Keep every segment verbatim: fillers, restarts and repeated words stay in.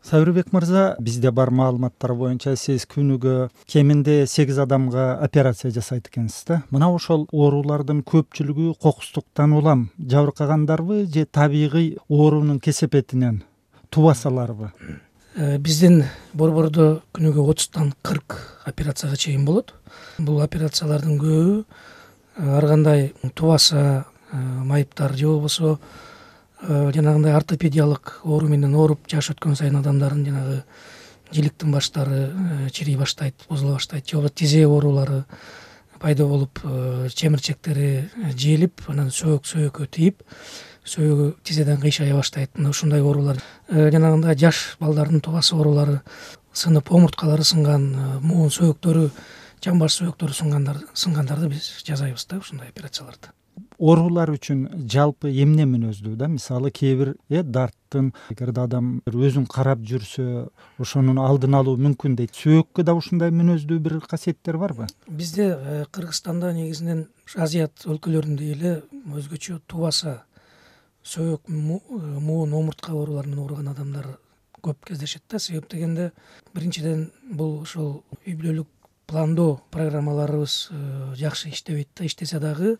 Сабырбек мырза, бизде бар маалыматтар боюнча сиз күнүгө кеминде сегиз адамга операция жасайт экенсиз да. Мына ошол оорулардын көпчүлүгү кокустуктан улам жабыркагандарбы же табигый оорунун кесепетинен тубасаларбы? Биздин борбордо күнүгө отуздан кырк операцияга чейин болот. Бул операциялардын көбү ар кандай тубаса, майыптар же болбосо жанагындай ортопедиялык оору менен ооруп жаш өткөн сайын адамдардын жанагы жиликтин баштары чирий баштайт, бузула баштайт, же болбосо тизе оорулары пайда болуп, чемирчектери желип, анан сөөк сөөккө тийип, сөөөгү тизеден кыйшая баштайт. Мына ушундай оорулар жанагындай жаш балдардын тубасы оорулары сынып, омурткалары сынган, муун сөөктөрү, жамбаш сөөктөрү сынгандар сынгандарды биз жасайбыз да ушундай операцияларды. Оорулар үчүн жалпы эмне мүнөздүү да? Мисалы кээ бир э дарттын эгерде адам өзүн карап жүрсө, ошонун алдын алуу мүмкүн дейт. Сөөккө да ушундай мүнөздүү бир касиеттер барбы? Бизде Кыргызстанда негизинен Азият өлкөлөрүндөй эле өзгөчө тубаса, сөөк, муун, омуртка ооруларынан ооруган адамдар көп кездешет да. Себеп дегенде биринчиден бул ошол үй бүлөлүк пландоо программаларыбыз жакшы иштебейт да. Иштесе дагы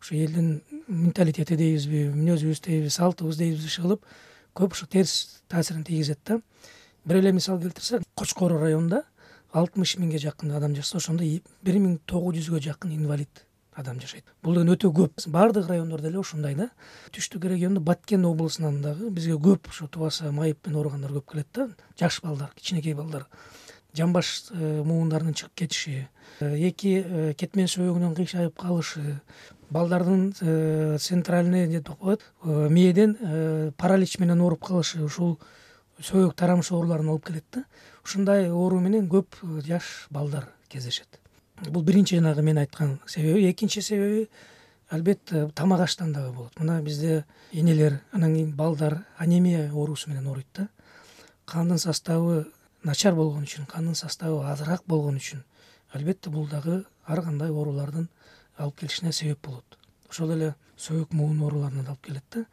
ушу элдин менталитети дейбизби, мүнөзүбүз дейбизби, салтыбыз дейбизби кылып көп ушу терс таасирин тийгизет да. Бир эле мисал келтирсек, Кочкор районунда алтымыш миңге жакын адам жашаса, ошондо бир миң тогуз жүзгө жакын инвалид адам жашайт. Бул деген өтө көп. Баардык райондордо эле ушундай да. Түштүк региондо Баткен облусунан дагы бизге көп ушу тубаса, майып менен ооругандар көп келет да. Жаш балдар, кичинекей балдар, жамбаш муундарынын чыгып кетиши, эки кетмен сөөөгүнүн кыйшайып калышы, балдардын центральный деп коет, мээден паралич менен ооруп калышы, ушул сөөк тарамыш ооруларын алып келет да. Ушундай оору менен көп жаш балдар кездешет. Бул биринчи жанагы мен айткан себеби. Экинчи себеби албетте тамак аштан дагы болот. Мына бизде энелер, анан кийин балдар анемия оорусу менен ооруйт да. Кандын составы начар болгон үчүн, кандын составы азыраак болгон үчүн албетте бул дагы ар кандай оорулардын алып келишине себеп болот. Ошол эле сөөк, муун ооруларына алып келет да.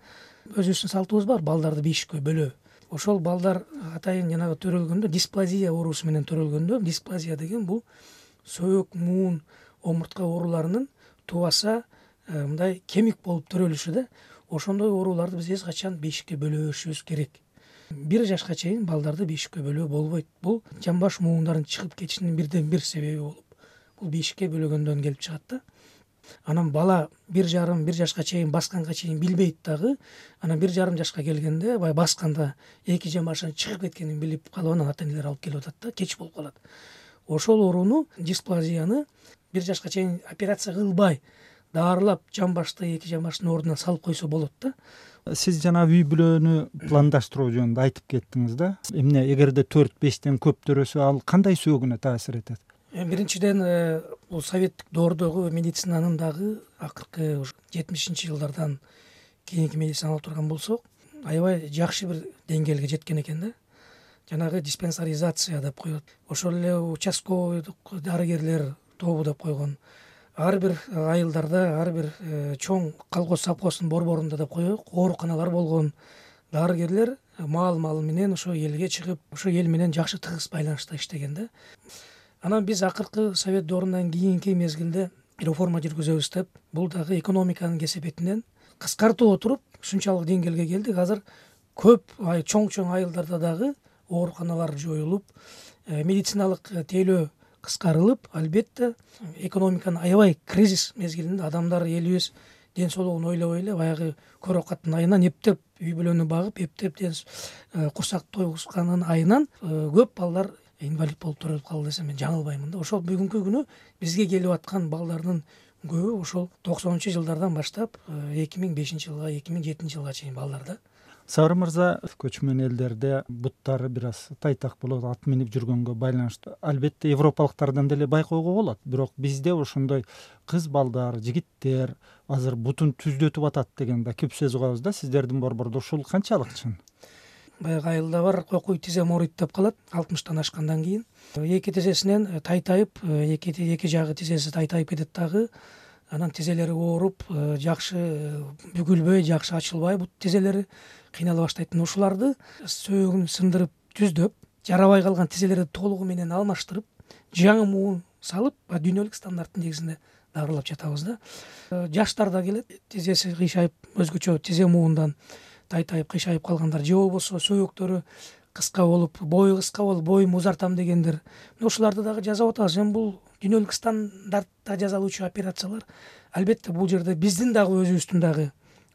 Өзүбүздүн салтыбыз бар, балдарды бешиккө бөлөө. Ошол балдар атайын жанагы төрөлгөндө, дисплазия оорусу менен төрөлгөндө, дисплазия деген бул сөөк, муун, омуртка ооруларынын тубаса мындай кемик болуп төрөлүшү да. Ошондой ооруларды биз эч качан бешикке бөлөбөшүбүз керек. Бир жашка чейин балдарды бешикке бөлөө болбойт. Бул жамбаш муундарын чыгып кетишинин бирден бир себеби болуп, бул бешикке бөлөгөндөн келип чыгат да. Анан бала бир жарым, бир жашка чейин басканга чейин билбейт дагы. Анан бир жарым жашка келгенде, бай басканда эки жамбашын чыгып кеткенин билип калып, анан ата-энелер алып келип атат да, кеч болуп калат. Ошол ооруну, дисплазияны бир жашка чейин операция кылбай, даарылап, жамбашты эки жамбаштын ордуна салып койсо болот да. Сиз жана үй бүлөнү пландаштыруу жөнүндө айтып кеттиңиз да. Эмне эгерде төрт бештен көп төрөсө, ал кандай сөөгүнө таасир этет? Биринчиден бул советтик доордогу медицинанын дагы акыркы жетимишинчи жылдардан кийинки медицина алып турган болсок, аябай жакшы бир деңгээлге жеткен экен да. Жанагы диспансеризация деп коет. Ошол эле участковый дарыгерлер тобу деп койгон. Ар бир айылдарда, ар бир чоң колхоз совхоздун борборунда деп коелук, ооруканалар болгон. Дарыгерлер маал-маал менен ошо элге чыгып, ошо эл менен жакшы тыгыз байланышта иштеген да. Анан биз акыркы совет доорунан кийинки мезгилде реформа жүргүзөбүз деп, бул дагы экономиканын кесепетинен кыскартып отуруп ушунчалык деңгээлге келдик. Азыр көп чоң-чоң айылдарда дагы ооруканалар жоюлуп, медициналык тейлөө кыскарылып, албетте экономиканын аябай кризис мезгилинде адамдар, элибиз ден соолугун ойлобой эле баягы көрө каттын айынан эптеп үй бүлөнү багып, эптеп курсак тойгузганын айынан көп балдар инвалид болуп төрөлүп калды десем мен жаңылбаймын да. Ошол бүгүнкү күнү бизге келип аткан балдардын көбү ошол токсонунчу жылдардан баштап эки миң бешинчи жылга, эки миң жетинчи жылга чейин балдар да. Сабыр мырза, көчмөн элдерде буттары бир аз тайтак болот, ат минип жүргөнгө байланыштуу. Албетте европалыктардан деле байкоого болот, бирок бизде ошондой кыз балдар, жигиттер азыр бутун түздөтүп атат деген да көп сөз угабыз да. Сиздердин борбордо ушул канчалык чын? Баягы айылда бар, кокуй тизе морит деп калат, алтымыштан ашкандан кийин. Эки тизесинен тайтайып, эки эки жагы тизеси тайтайып кетет дагы. Анан тизелери ооруп, жакшы бүгүлбөй, жакшы ачылбай бут тизелери кыйнала баштайт. Ушуларды сөөгүн сындырып түздөп, жарабай калган тизелерди толугу менен алмаштырып, жаңы муун салып, дүйнөлүк стандарттын негизинде дарылап жатабыз да. Жаштар да келет, тизеси кыйшайып, өзгөчө тизе муундан тайтайып кыйшайып калгандар, же болбосо сөөктөрү кыска болуп, бою кыска болуп, боюмду узартам дегендер. Ошолорду дагы жасап атабыз. Эми бул дүйнөлүк стандартта жасалуучу операциялар. Албетте бул жерде биздин дагы өзүбүздүн дагы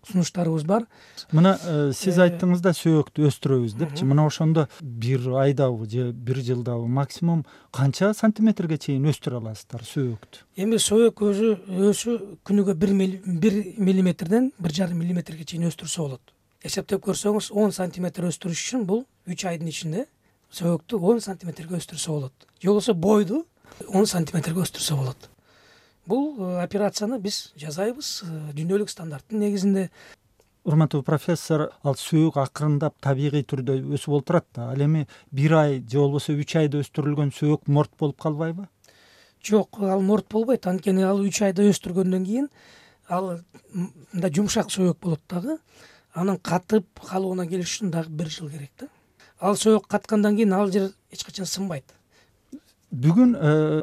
сунуштарыбыз бар. Мына сиз айттыңыз да сөөктү өстүрөбүз депчи. Мына ошондо бир айдабы же бир жылдабы максимум канча сантиметрге чейин өстүрө аласыздар сөөктү? Эми сөөк өзү өсү күнүгө бир миллиметрден бир жарым миллиметрге чейин өстүрсө болот. Эсептеп көрсөңүз, он сантиметр өстүрүш үчүн бул үч айдын ичинде сөөктү он сантиметрге өстүрсө болот. Же болбосо бойду он сантиметрге өстүрсө болот. Бул операцияны биз жасайбыз дүйнөлүк стандарттын негизинде. Урматтуу профессор, ал сөөк акырындап табигый түрдө өсүп олтурат да. Ал эми бир ай же болбосо үч айда өстүрүлгөн сөөк морт болуп калбайбы? Жок, ал морт болбойт. Анткени ал үч айда өстүргөндөн кийин ал мындай жумшак сөөк болот дагы. Анын катып калууна келиш үчүн дагы бир жыл керек да. Ал сөөк каткандан кийин ал жер эч качан сынбайт. Бүгүн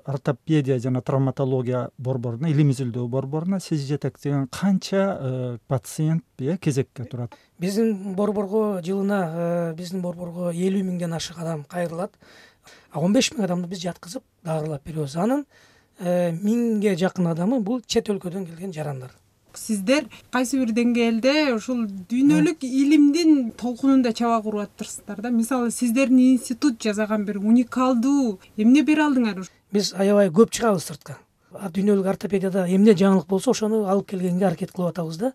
ортопедия жана травматология борборуна, илим изилдөө борборуна сиз жетектеген канча пациент кезекке турат? Биздин борборго жылына биздин борборго элүү миңден ашык адам кайрылат. он беш миң адамды биз жаткызып дарылап беребиз. Анын миңге жакын адамы бул чет өлкөдөн келген жарандар. Сиздер кайсы бир деңгээлде ушул дүйнөлүк илимдин толкунунда чаба куруп атырсыздар да. Мисалы, сиздердин институт жасаган бир уникалдуу эмне бере алдыңар? Биз аябай көп чыгабыз сыртка. Дүйнөлүк ортопедияда эмне жаңылык болсо, ошону алып келгенге аракет кылып атабыз да.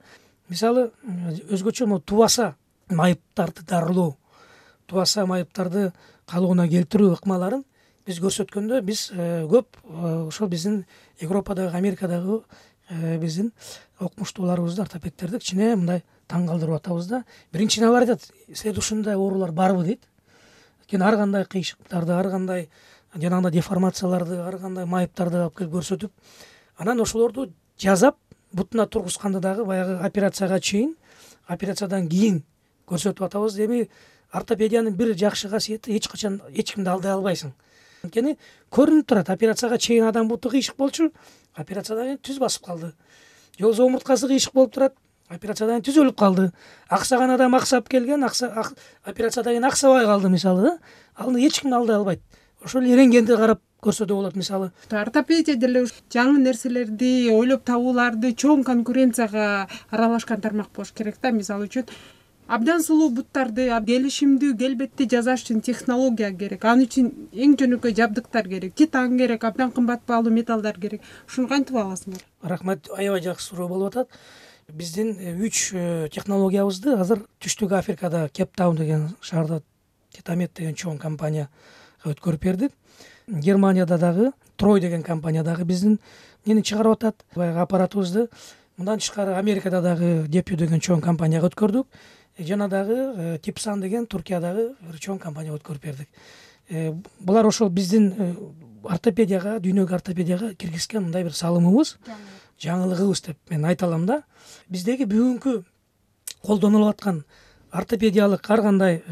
Мисалы, өзгөчө могу тубаса майыптарды дарылоо, тубаса майыптарды калыбына келтирүү ыкмаларын биз көрсөткөндө, биз көп ошол биздин Европадагы, Америкадагы биздин окумуштууларыбызды, ортопедтерди кичине мындай таң калтырып атабыз да. Биринчиден алар айтат, силерде ушундай оорулар барбы дейт. Анткени ар кандай кыйшыктарды, ар кандай жанагындай деформацияларды, ар кандай майыптарды алып келип көрсөтүп, анан ошолорду жазап, бутуна тургузганды дагы баягы операцияга чейин, операциядан кийин көрсөтүп атабыз. Эми ортопедиянын бир жакшы касиети, эч качан эч кимди алдай албайсың. Анткени көрүнүп турат, операцияга чейин адам буту кыйшык болчу, операциядан кийин түз басып калды. Же болбосо омурткасы кыйшык болуп турат, операциядан кийин түз өлүп калды. Аксаган адам аксап келген, операциядан кийин аксабай калды мисалы да. Аны эч ким алдай албайт. Ошол рентгенди карап көрсөтө болот мисалы. Ортопедия деле жаңы нерселерди ойлоп табууларды чоң конкуренцияга аралашкан тармак болуш керек да. Мисалы үчүн абдан сулуу буттарды келишимдүү, келбетти жасаш үчүн технология керек. Ал үчүн эң жөнөкөй жабдыктар керек, титан керек, абдан кымбат баалуу металлдар керек. Ушуну кантип аласыңар? Рахмат, аябай жакшы суроо болуп атат. Биздин үч технологиябызды азыр Түштүк Африкада, Кейптаун деген шаарда Титамет деген чоң компанияга өткөрүп бердик. Германияда дагы Трой деген компания дагы биздин нени чыгарып атат. Баягы аппаратыбызды. Мындан тышкары Америкада дагы Депю деген чоң компанияга өткөрдүк. Жана дагы Типсан деген Туркиядагы бир чоң компанияга өткөрүп бердик. Булар ошол биздин ортопедияга, дүйнөлүк ортопедияга киргизген мындай бир салымыбыз, жаңылыгыбыз деп мен айта алам да. Биздеги бүгүнкү колдонулуп аткан ортопедиялык ар кандай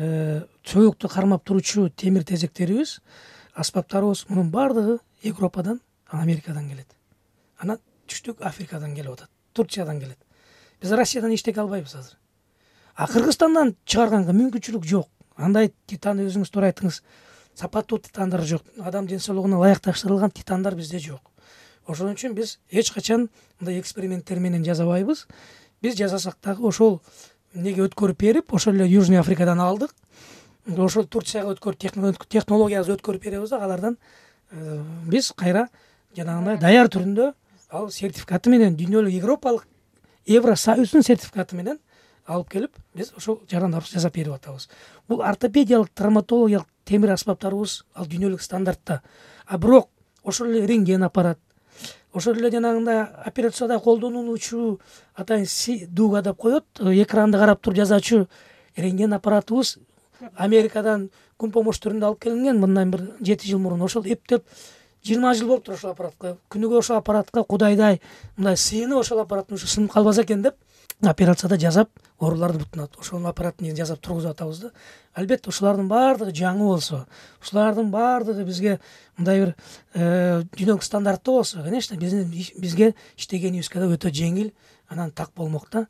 сөөктү кармап туручу темир тезектерибиз, аспаптарыбыз, мунун баардыгы Европадан, Америкадан келет. Анан Түштүк Африкадан келип атат, Турциядан келет. Биз Россиядан эчтеке албайбыз азыр. А Кыргызстандан чыгарганга мүмкүнчүлүк жок. Андай титан, өзүңүз туура айттыңыз, сапаттуу титандар жок. Адам ден соолугуна ылайыкташтырылган титандар бизде жок. Ошон үчүн биз эч качан мындай эксперименттер менен жасабайбыз. Биз жасасак дагы ошол эмнеге өткөрүп берип, ошол эле Южный Африкадан алдык. Ошол Турцияга өткөрүп, технологиябызды өткөрүп беребиз да, алардан биз кайра жанагындай даяр түрүндө ал сертификаты менен, дүйнөлүк Европалык Евросоюздун сертификаты менен алып келип, биз ошол жарандарды жасап берип атабыз. Бул ортопедиялык, травматологиялык темир аспаптарыбыз ал дүйнөлүк стандартта. А бирок ошол эле рентген аппарат, ошол эле жанагындай операцияда колдонулуучу атайын дуга деп коет, экранды карап туруп жазачу рентген аппаратыбыз Америкадан күн помош түрүндө алып келинген, мындан бир жети жыл мурун. Ошол эптеп жыйырма жыл болуптур ошол аппаратка. Күнүгө ошол аппаратка кудайдай мындай сыйынып ошол аппараттын ушу сынып калбаса экен деп операцияда жасап ооруларды бутунат. Ошонун аппаратын жасап тургузуп атабыз да. Албетте ушулардын баардыгы жаңы болсо, ушулардын баардыгы бизге мындай бир дүйнөлүк стандарттуу болсо, конечно, биздин бизге иштегенибизге да өтө жеңил, анан так болмок да.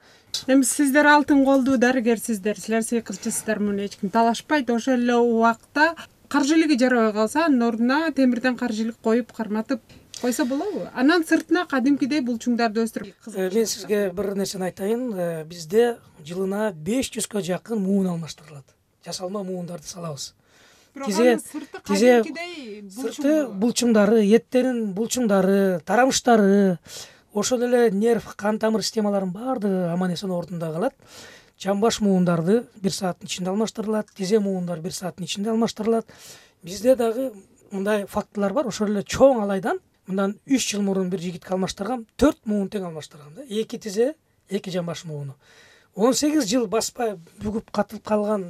Эми сиздер алтын колдуу дарыгерсиздер, силер сыйкырчысыздар, муну эч ким талашпайт. Ошол эле убакта каржылыгы жарабай калса, анын ордуна темирден каржылык коюп, карматып койсо болобу? Анан сыртына кадимкидей булчуңдарды өстүрүп. Мен сизге бир нерсени айтайын. Бизде жылына беш жүзгө жакын муун алмаштырылат. Жасалма муундарды салабыз. Тизе тизе сырты булчуңдары, эттерин булчуңдары, тарамыштары, ошол эле нерв, кан тамыр системаларынын баардыгы аман эсен ордунда калат. Жамбаш муундарды бир сааттын ичинде алмаштырылат, тизе муундар бир сааттын ичинде алмаштырылат. Бизде дагы мындай фактылар бар. Ошол эле чоң алайдан мындан үч жыл мурун бир жигитке алмаштыргам, төрт муун тең алмаштыргам да. эки тизе, эки жамбаш мууну. он сегиз жыл баспай бүгүп катылып калган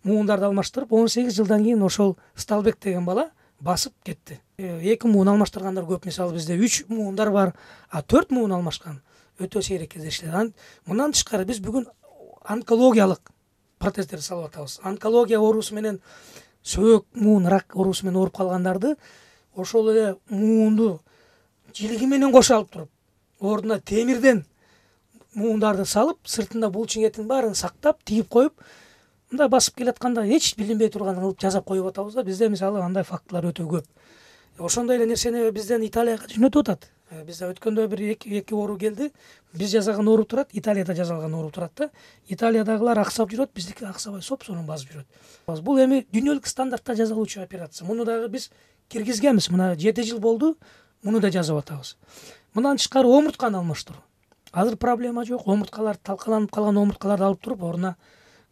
муундарды алмаштырып, он сегиз жылдан кийин ошол Сталбек деген бала басып кетти. эки муун алмаштыргандар көп. Мисалы бизде үч муундар бар, а төрт муун алмашкан өтө сейрек кездешилет. Мындан тышкары биз бүгүн онкологиялык протездерди салып атабыз. Онкология оорусу менен сөөк муун рак оорусу менен ооруп калгандарды ошол эле муунду жилиги менен кошо алып туруп, ордуна темирден муундарды салып, сыртында булчуң этин баарын сактап, тигип коюп, мындай басып келатканда эч билинбей турган кылып жасап коюп атабыз да. Бизде мисалы андай фактылар өтө көп. Ошондой эле нерсени бизден Италияга жөнөтүп атат. Бизде өткөндө бир эки эки оору келди. Биз жасаган ооруп турат, Италияда жасалган ооруп турат да. Италиядагылар аксап жүрөт, биздики аксабай соп-сонун басып жүрөт. Бул эми дүйнөлүк стандартта жасалуучу операция. Муну дагы биз киргизгенбиз. Мына жети жыл болду, муну да жасап атабыз. Мындан тышкары омуртканы алмаштыруу. Азыр проблема жок. Омурткалар талкаланып калган омурткаларды алып туруп, ордуна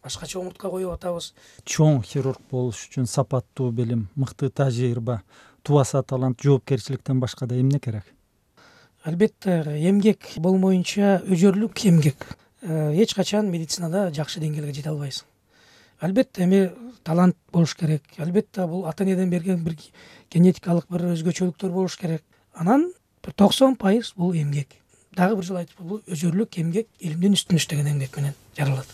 башкача омуртка коюп атабыз. Чоң хирург болуш үчүн сапаттуу билим, мыкты тажрыйба, тубаса талант, жоопкерчиликтен башка да эмне керек? Албетте, эмгек болмоюнча өжөрлүк эмгек. Эч качан медицинада жакшы деңгээлге жете албайсың. Албетте, эми талант болуш керек. Албетте, бул ата энеден берген бир генетикалык бир өзгөчөлүктөр болуш керек. Анан бир токсон пайыз бул эмгек. Дагы бир жолу айтып, бул өжөрлүк эмгек илимдин үстүнө иштеген эмгек менен жаралат.